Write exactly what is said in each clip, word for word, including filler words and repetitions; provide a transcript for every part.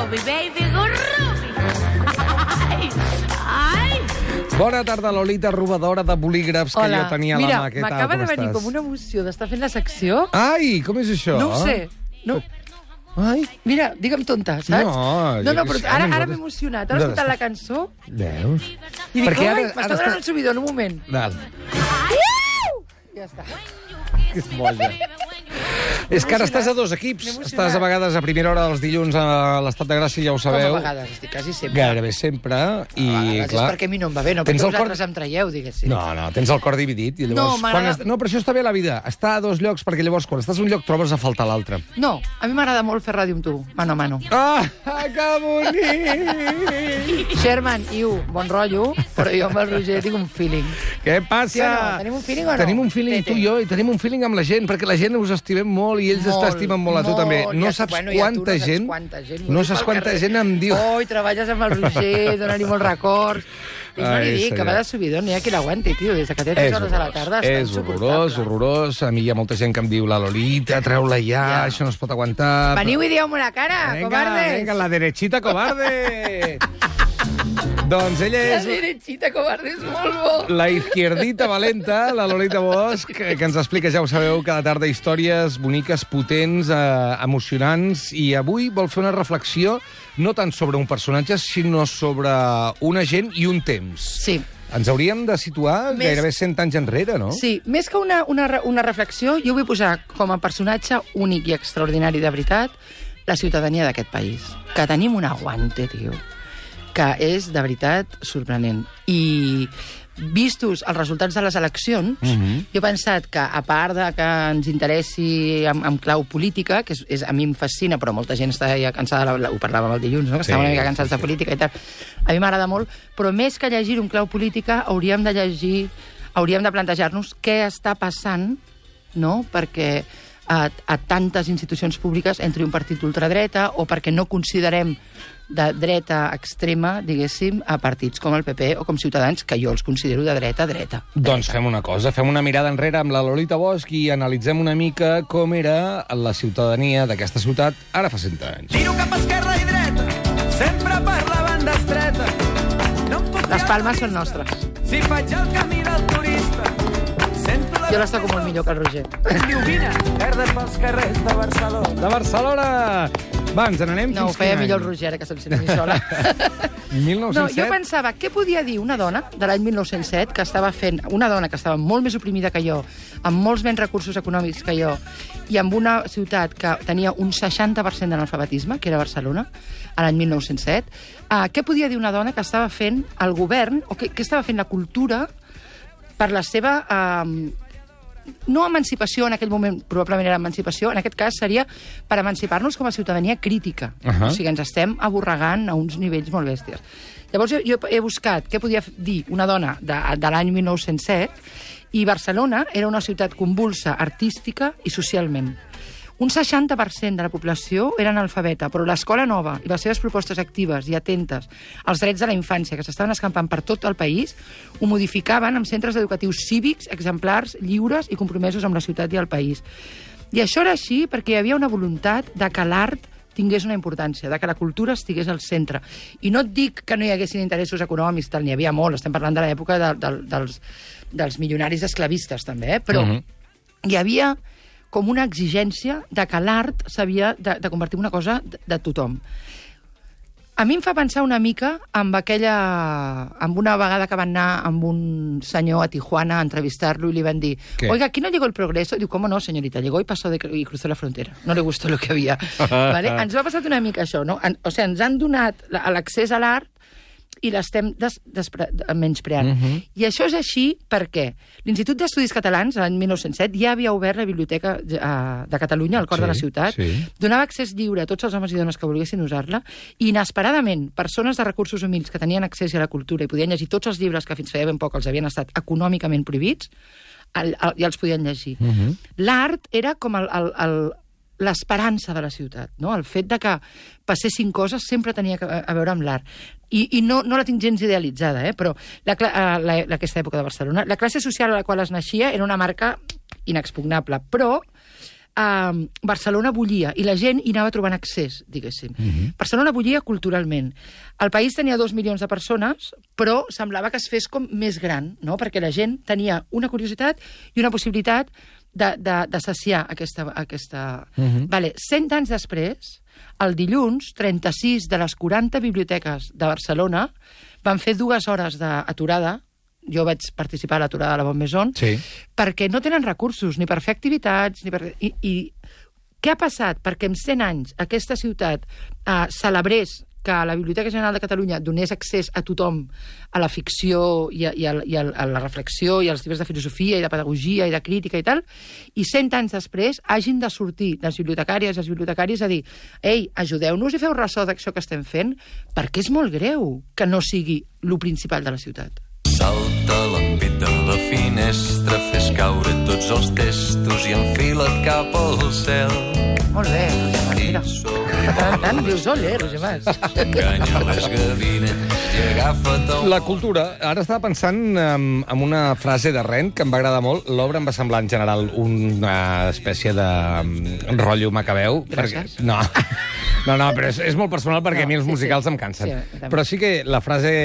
Rubi, baby, go Rubi. Ai, ai. Bona tarda, Lolita, robadora de bolígrafs que Hola. jo tenia a Mira, la mà. Què tal, m'acaba com de venir estàs? com una emoció d'estar fent la secció. Ai, com és això? No ho sé. No, Ai, mira, digue'm tonta, saps? No, no, jo no què però sé, ara, ara nosaltres- m'he emocionat. Ara he escoltat la cançó veus? i dic, Perquè oi, ara- m'està ara donant està- el subidor en un moment. Val. Ja està. Que és boja. És que ara estàs a dos equips. M'he emocionat. Estàs a vegades a primera hora dels dilluns a l'Estat de Gràcia, ja ho Com sabeu. a vegades, estic quasi sempre. Gairebé sempre. I, a vegades clar, és perquè a mi no em va bé, no tens perquè el cor- vosaltres em traieu, diguéssim. No, no, tens el cor dividit. I llavors, No, m'agrada- quan est... no, però això està bé a la vida. Estar a dos llocs, perquè llavors quan estàs a un lloc trobes a faltar l'altre. No, a mi m'agrada molt fer ràdio amb tu, mano a mano. Ah, que bonic! Sherman, Iu, bon rotllo, però jo amb el Roger tinc un feeling. Què passa? Sí o no? Tenim un feeling o no? Tenim un feeling, Tete. tu i jo, i tenim un feeling amb la gent, perquè la gent us estimem molt i ells Molt, t'estimen molt a tu molt. també. I No a tu, saps bueno, i a tu quanta no saps gent... quanta gent m'ho No diu saps pel quanta carrer. gent em diu... Oi, treballes amb el Roger, dona-li molts records. I no Ai, li dic, senyor. que va de subidor, n'hi ha qui l'aguanti, tio, des que té tres hores a la tarda. està és horrorós, insuportable. horrorós. A mi hi ha molta gent que em diu la Lolita, treu-la ja, Ja. això no es pot aguantar. Veniu i dieu-me la cara, Venga, cobardes. venga, la derechita cobarde. Doncs ella La és derechita, cobardes, molt bo. la izquierdita valenta, la Lolita Bosch, que, que ens explica, ja ho sabeu, cada tarda històries boniques, potents, eh, emocionants, i avui vol fer una reflexió no tant sobre un personatge, sinó sobre una gent i un temps. Sí. Ens hauríem de situar Més- gairebé cent anys enrere, no? Sí, més que una, una, re- una reflexió, jo vull posar com a personatge únic i extraordinari de veritat la ciutadania d'aquest país. Que tenim un aguante, tio, que és de veritat sorprenent. I vistos els resultats de les eleccions, Mhm. jo he pensat que, a part de que ens interessi en, en clau política, que és, és, a mi em fascina, però molta gent està ja cansada, la, la, ho parlàvem el dilluns, no? que Sí, estava una mica cansats sí, de sí. política i tal. A mi m'agrada molt, però més que llegir un clau política, hauríem de llegir, hauríem de plantejar-nos què està passant, no?, perquè a, a tantes institucions públiques entri un partit d'ultradreta o perquè no considerem de dreta extrema, diguéssim, a partits com el P P o com Ciutadans, que jo els considero de dreta a dreta. Doncs fem una cosa, fem una mirada enrere amb la Lolita Bosch i analitzem una mica com era la ciutadania d'aquesta ciutat ara fa cent anys. Giro cap a esquerra i dreta, sempre per la banda estreta. No em puc Les fiar palmes de són vista. nostres. Si faig el camí del turista, sento la... Jo les toco molt millor que el Roger. Llumina, verdes pels carrers de Barcelona. De Barcelona! Va, ens n'anem No, ho fins feia quin millor el any? Roger, ara que se'm sent a mi sola. mil No, nou-cents set? jo pensava, què podia dir una dona de l'any mil nou-cents set, que estava fent, una dona que estava molt més oprimida que jo, amb molts menys recursos econòmics que jo, i amb una ciutat que tenia un seixanta per cent d'analfabetisme, que era Barcelona, a l'any mil nou-cents set, uh, què podia dir una dona que estava fent el govern, o que, que estava fent la cultura per la seva... Uh, no emancipació, en aquell moment probablement era emancipació, en aquest cas seria per emancipar-nos com a ciutadania crítica. Ahà. O sigui, ens estem aborregant a uns nivells molt bèsties. Llavors jo, jo he buscat què podia dir una dona de, de l'any mil nou-cents set i Barcelona era una ciutat convulsa artística i socialment. Un seixanta per cent de la població era analfabeta, però l'escola nova i les seves propostes actives i atentes als drets de la infància que s'estaven escampant per tot el país ho modificaven amb centres educatius cívics, exemplars, lliures i compromesos amb la ciutat i el país. I això era així perquè hi havia una voluntat de que l'art tingués una importància, de que la cultura estigués al centre. I no et dic que no hi haguessin interessos econòmics, tal, n'hi havia molt, estem parlant de l'època de, de, dels, dels milionaris esclavistes, també, eh? Però Mhm. hi havia com una exigència de que l'art s'havia de, de convertir en una cosa de, de tothom. A mi em fa pensar una mica amb aquella... amb una vegada que van anar amb un senyor a Tijuana a entrevistar-lo i li van dir ¿Qué? oiga, ¿aquí no llegó el progreso? Diu, ¿cómo no, señorita? Llegó y pasó de, y cruzó la frontera. No le gustó lo que había. ¿Vale? Ens va passat una mica això, no? En, o sigui, ens han donat la- l'accés a l'art i l'estem des, despre, menyspreant. Mhm. I això és així perquè l'Institut d'Estudis Catalans, l'any mil nou-cents set, ja havia obert la Biblioteca eh, de Catalunya, al cor Sí, de la ciutat, sí. donava accés lliure a tots els homes i dones que volguessin usar-la, i inesperadament, persones de recursos humils que tenien accés a la cultura i podien llegir tots els llibres que fins feia ben poc els havien estat econòmicament prohibits, el, el, ja els podien llegir. Mhm. L'art era com el, el, el, l'esperança de la ciutat, no? El fet de que passessin coses sempre tenia que, a veure amb l'art. I, i no, no la tinc gens idealitzada, eh? Però la, la, la, aquesta època de Barcelona, la classe social a la qual es naixia era una marca inexpugnable, però Uh, Barcelona bullia i la gent hi anava trobant accés, diguéssim. Uh-huh. Barcelona bullia culturalment. El país tenia dos milions de persones, però semblava que es fes com més gran, no? Perquè la gent tenia una curiositat i una possibilitat de, de, de saciar aquesta... aquesta... Uh-huh. Vale, cent anys després, el dilluns, trenta-sis de les quaranta biblioteques de Barcelona van fer dues hores d'aturada. Jo vaig participar a l'aturada de la Bon Maison, sí. perquè no tenen recursos ni per fer activitats, ni per... I, i què ha passat? Perquè en cent anys aquesta ciutat eh, celebrés que la Biblioteca General de Catalunya donés accés a tothom a la ficció i a, i a, i a, a la reflexió i als llibres de filosofia i de pedagogia i de crítica i tal, i cent anys després hagin de sortir les bibliotecàries i els bibliotecaris a dir ei, ajudeu-nos i feu ressò d'això que estem fent, perquè és molt greu que no sigui lo principal de la ciutat. Salta l'ampit de la finestra, fes caure tots els testos i enfila't cap al cel. Molt bé, Roger Mas, mira. Tant, tant, dius, ole, Roger Mas. Enganya les gavines i agafa't un... La cultura. Ara estava pensant en, en una frase de Rent que em va agradar molt. L'obra em va semblar, en general, una espècie de um, rotllo macabeu. Gràcies. Perquè, no, no, no, però és, és molt personal perquè No, a mi els sí, musicals sí. em cansen. Sí, també. Però sí que la frase,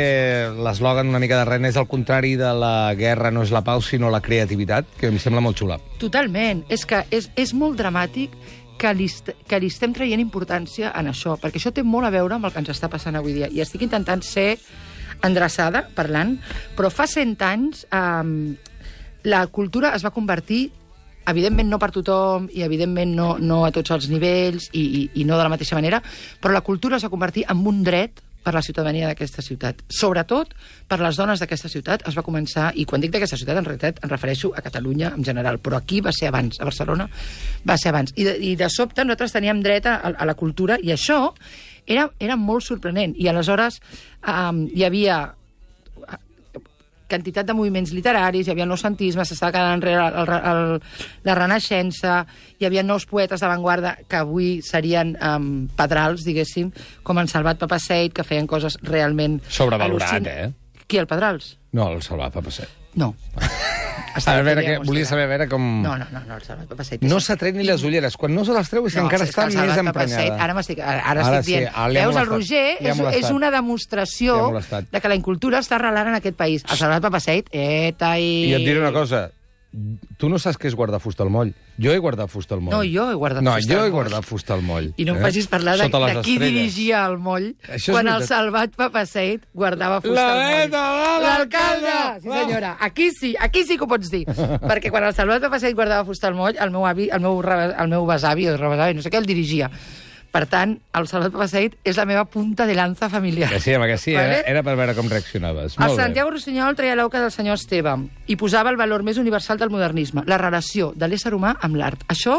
l'eslògan una mica de Rent és al contrari de la guerra no és la pau, sinó la creativitat, que em sembla molt xula. Totalment. És que és, és molt dramàtic que li, que li estem traient importància en això, perquè això té molt a veure amb el que ens està passant avui dia. I estic intentant ser endreçada, parlant, però fa cent anys eh, la cultura es va convertir, evidentment no per tothom, i evidentment no, no a tots els nivells, i, i, i no de la mateixa manera, però la cultura es va convertir en un dret per la ciutadania d'aquesta ciutat. Sobretot per les dones d'aquesta ciutat es va començar, i quan dic d'aquesta ciutat en realitat em refereixo a Catalunya en general, però aquí va ser abans, a Barcelona va ser abans. I de, i de sobte nosaltres teníem dret a, a la cultura, i això era, era molt sorprenent. I aleshores um, hi havia quantitat de moviments literaris, hi havia el noucentisme, s'estava quedant enrere el, el, el, la Renaixença, hi havia nous poetes d'avantguarda que avui serien um, pedrals, diguéssim, com en Salvat Papasseit, que feien coses realment... Sobrevalorat, al·lucin... eh? Qui, el Pedrals? No, el Salvat Papasseit. No. A veure, que, volia saber a veure com... No, no, no, no el Salvat Papasseit. No s'ha tret ni les ulleres. Quan no se les treu és que No, encara és està que el més Salvat emprenyada. Papasseit, ara m'estic ara, ara Ara estic sí, dient. ara li ha Veus, el molestat. Roger Li ha és, molestat. és una demostració Li ha molestat. de que la incultura està arrelant en aquest país. El Salvat Papasseit, eta i... I et diré una cosa. Tu no saps què és guardar fusta al moll. Jo he guardat fusta al moll. No, jo he guardat no, fusta jo al he moll. guardat fusta al moll. I no em eh? facis parlar de, Sota les de qui estrelles. dirigia el moll Això és quan el veritat. Salvat Papasseit guardava fusta La al moll. neta de l'alcalde! Sí, senyora. Aquí sí, aquí sí que ho pots dir. Perquè quan el Salvat Papasseit guardava fusta al moll, el meu avi, el meu, re- el meu besavi o rebesavi, no sé què, el dirigia. Per tant, el Salvat Papasseit és la meva punta de lanza familiar. Que sí, home, que sí. Vale? Era, era per veure com reaccionaves. El Molt bé. Santiago Rossinyol treia l'auca del senyor Esteve i posava el valor més universal del modernisme, la relació de l'ésser humà amb l'art. Això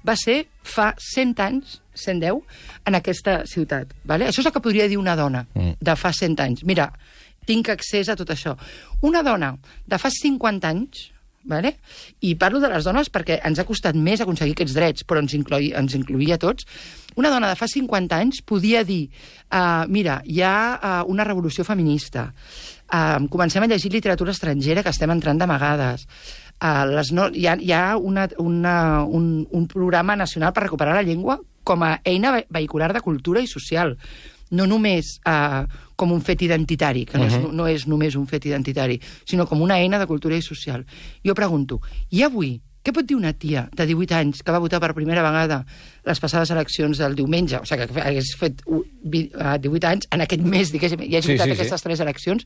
va ser fa cent anys, cent deu, en aquesta ciutat. Vale? Això és el que podria dir una dona Mm. de fa cent anys. Mira, tinc accés a tot això. Una dona de fa cinquanta anys, vale? I parlo de les dones perquè ens ha costat més aconseguir aquests drets, però ens, incloi, ens incloïa a tots. Una dona de fa cinquanta anys podia dir uh, mira, hi ha uh, una revolució feminista, uh, comencem a llegir literatura estrangera que estem entrant d'amagades, uh, les no, hi ha, hi ha una, una, un, un programa nacional per recuperar la llengua com a eina vehicular de cultura i social, no només uh, com un fet identitari, que no, és, no és només un fet identitari, sinó com una eina de cultura i social. Jo pregunto, i avui, què pot dir una tia de divuit anys que va votar per primera vegada les passades eleccions del diumenge, o sigui, que hagués fet divuit anys en aquest mes, diguéssim, i hagi Sí, votat sí, sí. aquestes tres eleccions,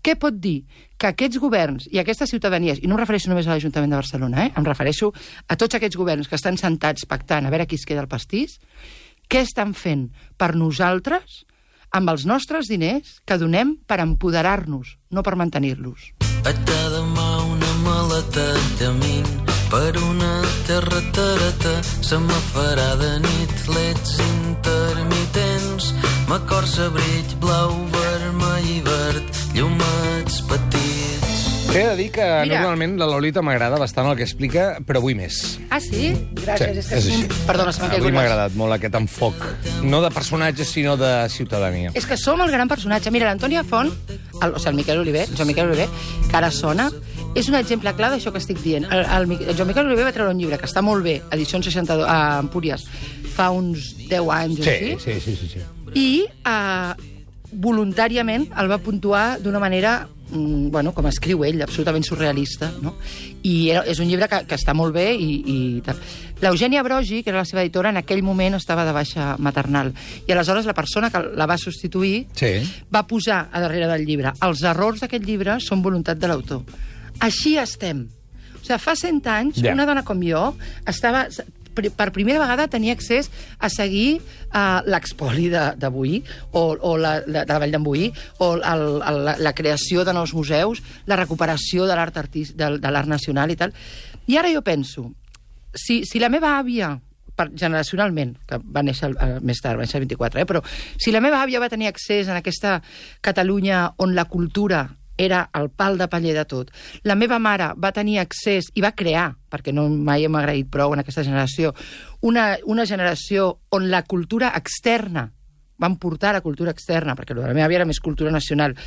què pot dir que aquests governs i aquestes ciutadanies, i no em refereixo només a l'Ajuntament de Barcelona, eh? Em refereixo a tots aquests governs que estan sentats pactant a veure qui es queda el pastís, què estan fent per nosaltres amb els nostres diners que donem per empoderar-nos, no per mantenir-los? A cada mà una maleta de mint per una terra tarata se me farà de nit leds intermitents m'acorça brills blau, vermell i verd llumets petits. T'he de dir que Mira. normalment la Lolita m'agrada bastant el que explica, però avui més. Ah, sí? Gràcies. Sí, és que és així. Perdona, se m'ha Avui caigut m'ha les- agradat molt aquest enfoc. No de personatge, sinó de ciutadania. És que som el gran personatge. Mira, l'Antònia Font, el, o sigui, el Miquel Oliver, Joan Miquel Oliver, que ara sona, és un exemple clar d'això que estic dient. El, el, el Joan Miquel Oliver va treure un llibre que està molt bé, edició seixanta-dos, a Empúries, fa uns deu anys o Sí, així, sí, sí, sí, sí. i eh, voluntàriament el va puntuar d'una manera, mm, bueno, com escriu ell, absolutament surrealista, no? I era, és un llibre que, que està molt bé i, i tal. L'Eugènia Brogi, que era la seva editora, en aquell moment estava de baixa maternal. I aleshores la persona que la va substituir Sí. va posar a darrere del llibre: els errors d'aquest llibre són voluntat de l'autor. Així estem. O sigui, fa cent anys, Ja. una dona com jo estava... per primera vegada tenia accés a seguir uh, l'expoli d'avui, o, o la, la, de la Vall d'en Boí, o el, el, la, la creació de nous museus, la recuperació de l'art artist, de, de l'art nacional i tal. I ara jo penso, si, si la meva àvia, per, generacionalment, que va néixer uh, més tard, va néixer el vint-i-quatre, eh, però si la meva àvia va tenir accés en aquesta Catalunya on la cultura era el pal de paller de tot. La meva mare va tenir accés i va crear, perquè no mai hem agraït prou en aquesta generació, una, una generació on la cultura externa, van portar la cultura externa, perquè la meva àvia era més cultura nacional,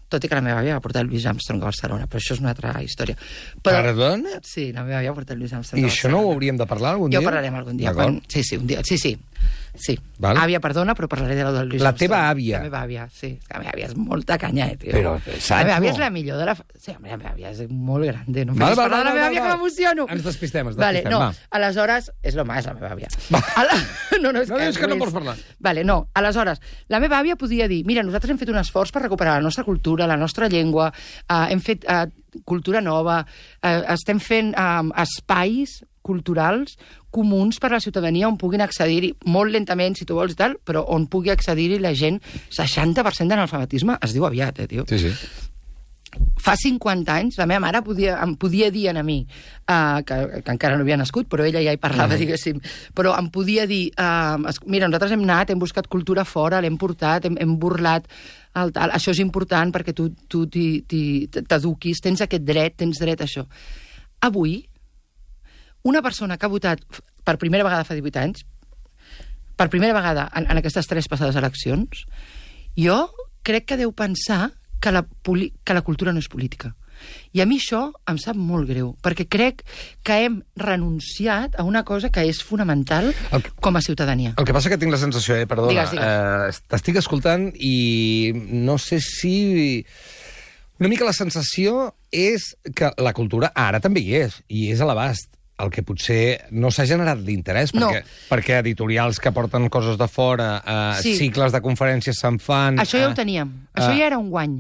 tot i que la meva àvia va portar el Louis Armstrong a Barcelona, però això és una altra història. Però, Perdona? sí, la meva àvia va portar el Louis Armstrong I a això Barcelona. no ho hauríem de parlar algun Ja dia? ho parlarem algun dia. D'acord. Quan... Sí, sí, un dia. Sí, sí. Sí. Val. Àvia, perdona, però parlaré de la del Louis La Armstrong. teva àvia. La meva àvia, sí. La meva àvia és molta canya, eh, tio. Però, saps, la meva àvia no? és la millor de la... Sí, la meva àvia és molt grande. No em Val, facis val, parlar de la val, meva val, àvia, val. que m'emociono. Ens despistem, ens Vale, despistem, no, va. aleshores... És l'home, és la meva àvia. Ala... No, no, és No que, dius que no és- pots parlar. Vale, no, aleshores, la meva àvia podia dir: mira, nosaltres hem fet un esforç per recuperar la nostra cultura, la nostra llengua, eh, hem fet eh, cultura nova, eh, estem fent eh, espais culturals comuns per a la ciutadania on puguin accedir-hi, molt lentament, si tu vols i tal, però on pugui accedir-hi la gent. Seixanta per cent d'analfabetisme es diu aviat, eh, tio. Sí, sí. Fa cinquanta anys, la meva mare podia, em podia dir a mi, uh, que, que encara no havia nascut, però ella ja hi parlava, diguéssim, però em podia dir, uh, mira, nosaltres hem anat, hem buscat cultura fora, l'hem portat, hem, hem burlat, el tal, això és important perquè tu tu t'hi- t'hi- t'eduquis, tens aquest dret, tens dret a això. Avui, una persona que ha votat per primera vegada fa divuit anys, per primera vegada en, en aquestes tres passades eleccions, jo crec que deu pensar que la, poli que la cultura no és política. I a mi això em sap molt greu, perquè crec que hem renunciat a una cosa que és fonamental El- com a ciutadania. El que passa que tinc la sensació, eh, perdona, Digues, digues. eh, t'estic escoltant i no sé si... Una mica la sensació és que la cultura ara també hi és, i és a l'abast. El que potser no s'ha generat l'interès, No. perquè, perquè editorials que porten coses de fora, eh, Sí. cicles de conferències se'n fan... Això ja eh, ho teníem. Això eh, ja era un guany.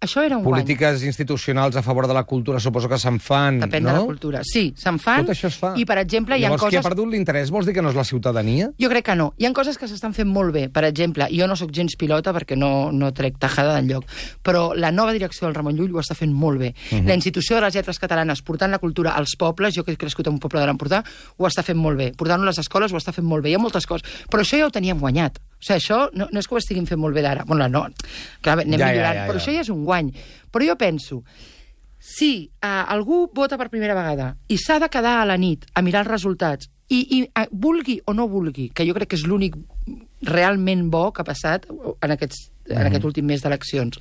Això era un guany. Polítiques institucionals a favor de la cultura suposo que se'n fan, Depèn no? de la cultura. Sí, se'n fan. Tot això es fa. I, per exemple, hi ha Llavors, qui ha coses... perdut l'interès vols dir que no és la ciutadania? Jo crec que no. Hi ha coses que s'estan fent molt bé. Per exemple, jo no sóc gens pilota perquè no, no trec tajada d'enlloc, però la nova direcció del Ramon Llull ho està fent molt bé. Uh -huh. La institució de les lletres catalanes portant la cultura als pobles, jo que he crescut en un poble de l'Empordà, ho està fent molt bé. Portant-ho a les escoles ho està fent molt bé. Hi ha moltes coses. Però això ja ho teníem guanyat. O sigui, això no, no és que ho estiguin fent molt bé d'ara. Bueno, no, clar, anem Ja, ja, millorant, ja, però ja. això ja és un guany. Però jo penso, si uh, algú vota per primera vegada i s'ha de quedar a la nit a mirar els resultats i, i uh, vulgui o no vulgui, que jo crec que és l'únic realment bo que ha passat en, aquests, en aquest últim mes d'eleccions,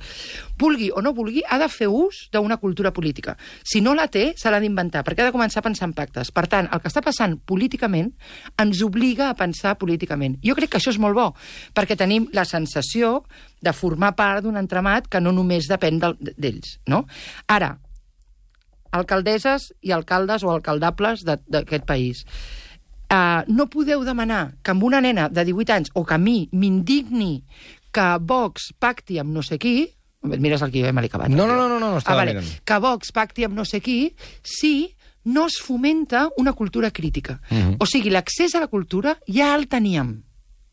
vulgui o no vulgui, ha de fer ús d'una cultura política. Si no la té, se l'ha d'inventar, perquè ha de començar a pensar en pactes. Per tant, el que està passant políticament ens obliga a pensar políticament. Jo crec que això és molt bo, perquè tenim la sensació de formar part d'un entramat que no només depèn del- d'ells, no? Ara, alcaldesses i alcaldes o alcaldables de- d'aquest país. Uh, no podeu demanar que amb una nena de divuit anys o que a mi m'indigni que Vox pacti amb no sé qui... Mires el guió, me l'he acabat. No, no, no, no, no, estava ah, vale. mirant. Que Vox pacti amb no sé qui si no es fomenta una cultura crítica. Uh -huh. O sigui, l'accés a la cultura ja el teníem.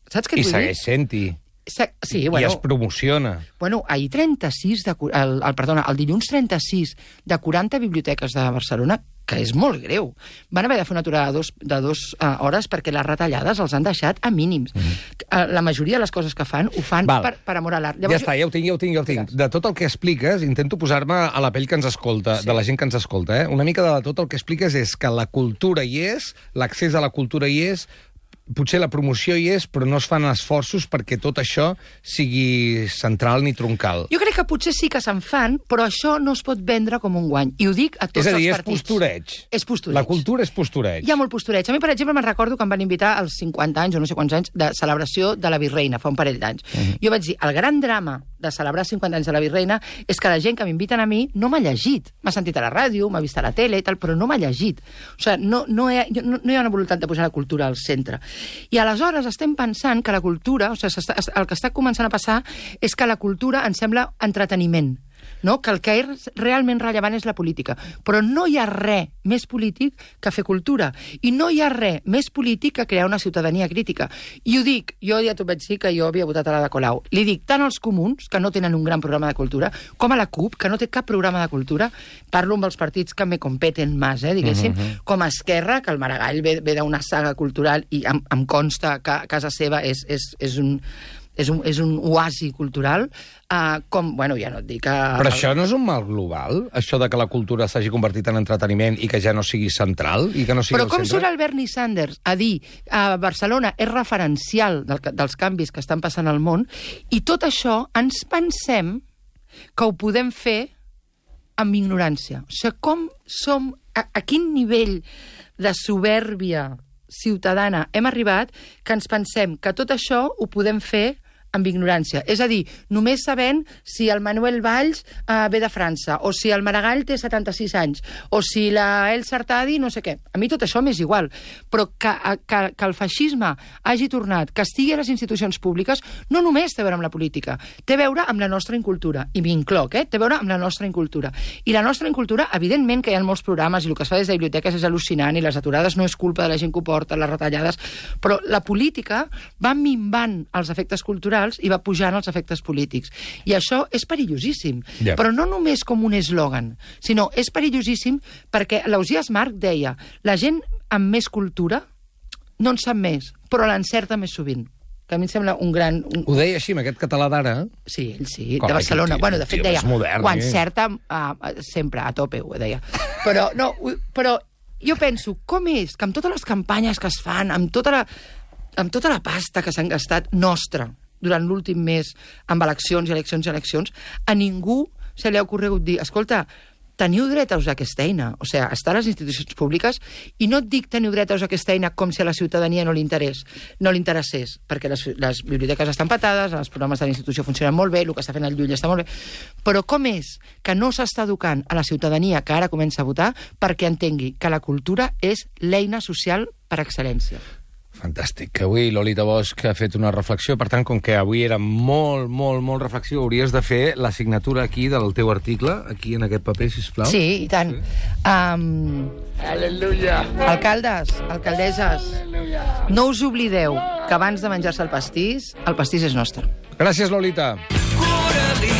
Saps què et I vull dir? segueix sent-hi. Se- Sí, I bueno, es promociona. Bueno, ahir trenta-sis, de, cu- el, el, perdona, el dilluns trenta-sis de quaranta biblioteques de Barcelona, que és molt greu. Van haver de fer una aturada de dos, de dos uh, hores perquè les retallades els han deixat a mínims. Mm -hmm. uh, la majoria de les coses que fan ho fan Val. per, per amor a l'art. Ja està, ja ho tinc, ja ho tinc, ja ho tinc. De tot el que expliques, intento posar-me a la pell que ens escolta, Sí. de la gent que ens escolta. Eh? Una mica de tot el que expliques és que la cultura hi és, l'accés a la cultura hi és, potser la promoció hi és, però no es fan esforços perquè tot això sigui central ni troncal. Jo crec que potser sí que se'n fan, però això no es pot vendre com un guany. I ho dic a tots És a dir, els és partits. postureig. És postureig. La cultura és postureig. Hi ha molt postureig. A mi, per exemple, me'n recordo que em van invitar als cinquanta anys, o no sé quants anys, de celebració de la Virreina, fa un parell d'anys. Uh-huh. Jo vaig dir, el gran drama de celebrar cinquanta anys de la Virreina és que la gent que m'inviten a mi no m'ha llegit. M'ha sentit a la ràdio, m'ha vist a la tele i tal, però no m'ha llegit. O sigui, no, no, hi ha, no, no hi ha una voluntat de posar la cultura al centre. I aleshores estem pensant que la cultura, o sigui, el que està començant a passar és que la cultura ens sembla entreteniment, no? Que el que és realment rellevant és la política. Però no hi ha res més polític que fer cultura. I no hi ha res més polític que crear una ciutadania crítica. I ho dic, jo ja t'ho vaig dir que jo havia votat a la de Colau. Li dic tant als comuns, que no tenen un gran programa de cultura, com a la CUP, que no té cap programa de cultura. Parlo amb els partits que me competen més, eh, diguéssim, uh-huh. com a Esquerra, que el Maragall ve, ve d'una saga cultural i em, em consta que a casa seva és, és, és un... És un, és un oasi cultural, uh, com, bueno, ja no et dic... Uh, Però això no és un mal global? Això de que la cultura s'hagi convertit en entreteniment i que ja no sigui central? I que no sigui Però com centre? surt el Bernie Sanders a dir a uh, Barcelona és referencial del, dels canvis que estan passant al món, i tot això ens pensem que ho podem fer amb ignorància. O sigui, com som... A, a quin nivell de soberbia ciutadana hem arribat que ens pensem que tot això ho podem fer amb ignorància. És a dir, només sabent si el Manuel Valls uh, ve de França, o si el Maragall té setanta-sis anys, o si la Elsa Artadi no sé què. A mi tot això m'és igual. Però que, que, que el feixisme hagi tornat, que estigui a les institucions públiques, no només té a veure amb la política, té a veure amb la nostra incultura. I m'incloc, eh? Té a veure amb la nostra incultura. I la nostra incultura, evidentment que hi ha molts programes i el que es fa des de biblioteques és al·lucinant i les aturades no és culpa de la gent que ho porta, les retallades, però la política va minvant els efectes culturals i va pujant els efectes polítics. I això és perillosíssim. Yeah. Però no només com un eslògan, sinó és perillosíssim perquè l'Ausiàs Marc deia la gent amb més cultura no en sap més, però l'encerta més sovint. Que a mi em sembla un gran... Un... Ho deia així, amb aquest català d'ara? Sí, ell sí, Com, de Barcelona. tio, Bueno, de fet tio, deia, és modern, ho eh? encerta uh, sempre, a tope, ho deia. Però, no, però jo penso, com és que amb totes les campanyes que es fan, amb tota la, amb tota la pasta que s'han gastat nostra, durant l'últim mes, amb eleccions i eleccions i eleccions, a ningú se li ha ocorregut dir, escolta, teniu dret a usar aquesta eina, o sigui, estar a les institucions públiques, i no et dic teniu dret a usar aquesta eina com si a la ciutadania no li interés, no li interessés, perquè les, les biblioteques estan petades, els programes de la institució funcionen molt bé, el que està fent el Llull està molt bé, però com és que no s'està educant a la ciutadania que ara comença a votar perquè entengui que la cultura és l'eina social per excel·lència? Fantàstic. Avui Lolita Bosch ha fet una reflexió, per tant, com que avui era molt, molt, molt reflexió, hauries de fer la signatura aquí del teu article, aquí en aquest paper, sisplau. Sí, i tant. Sí. Um, Aleluia! alcaldes, alcaldesses, Aleluia. No us oblideu que abans de menjar-se el pastís, el pastís és nostre. Gràcies, Lolita. Coralí,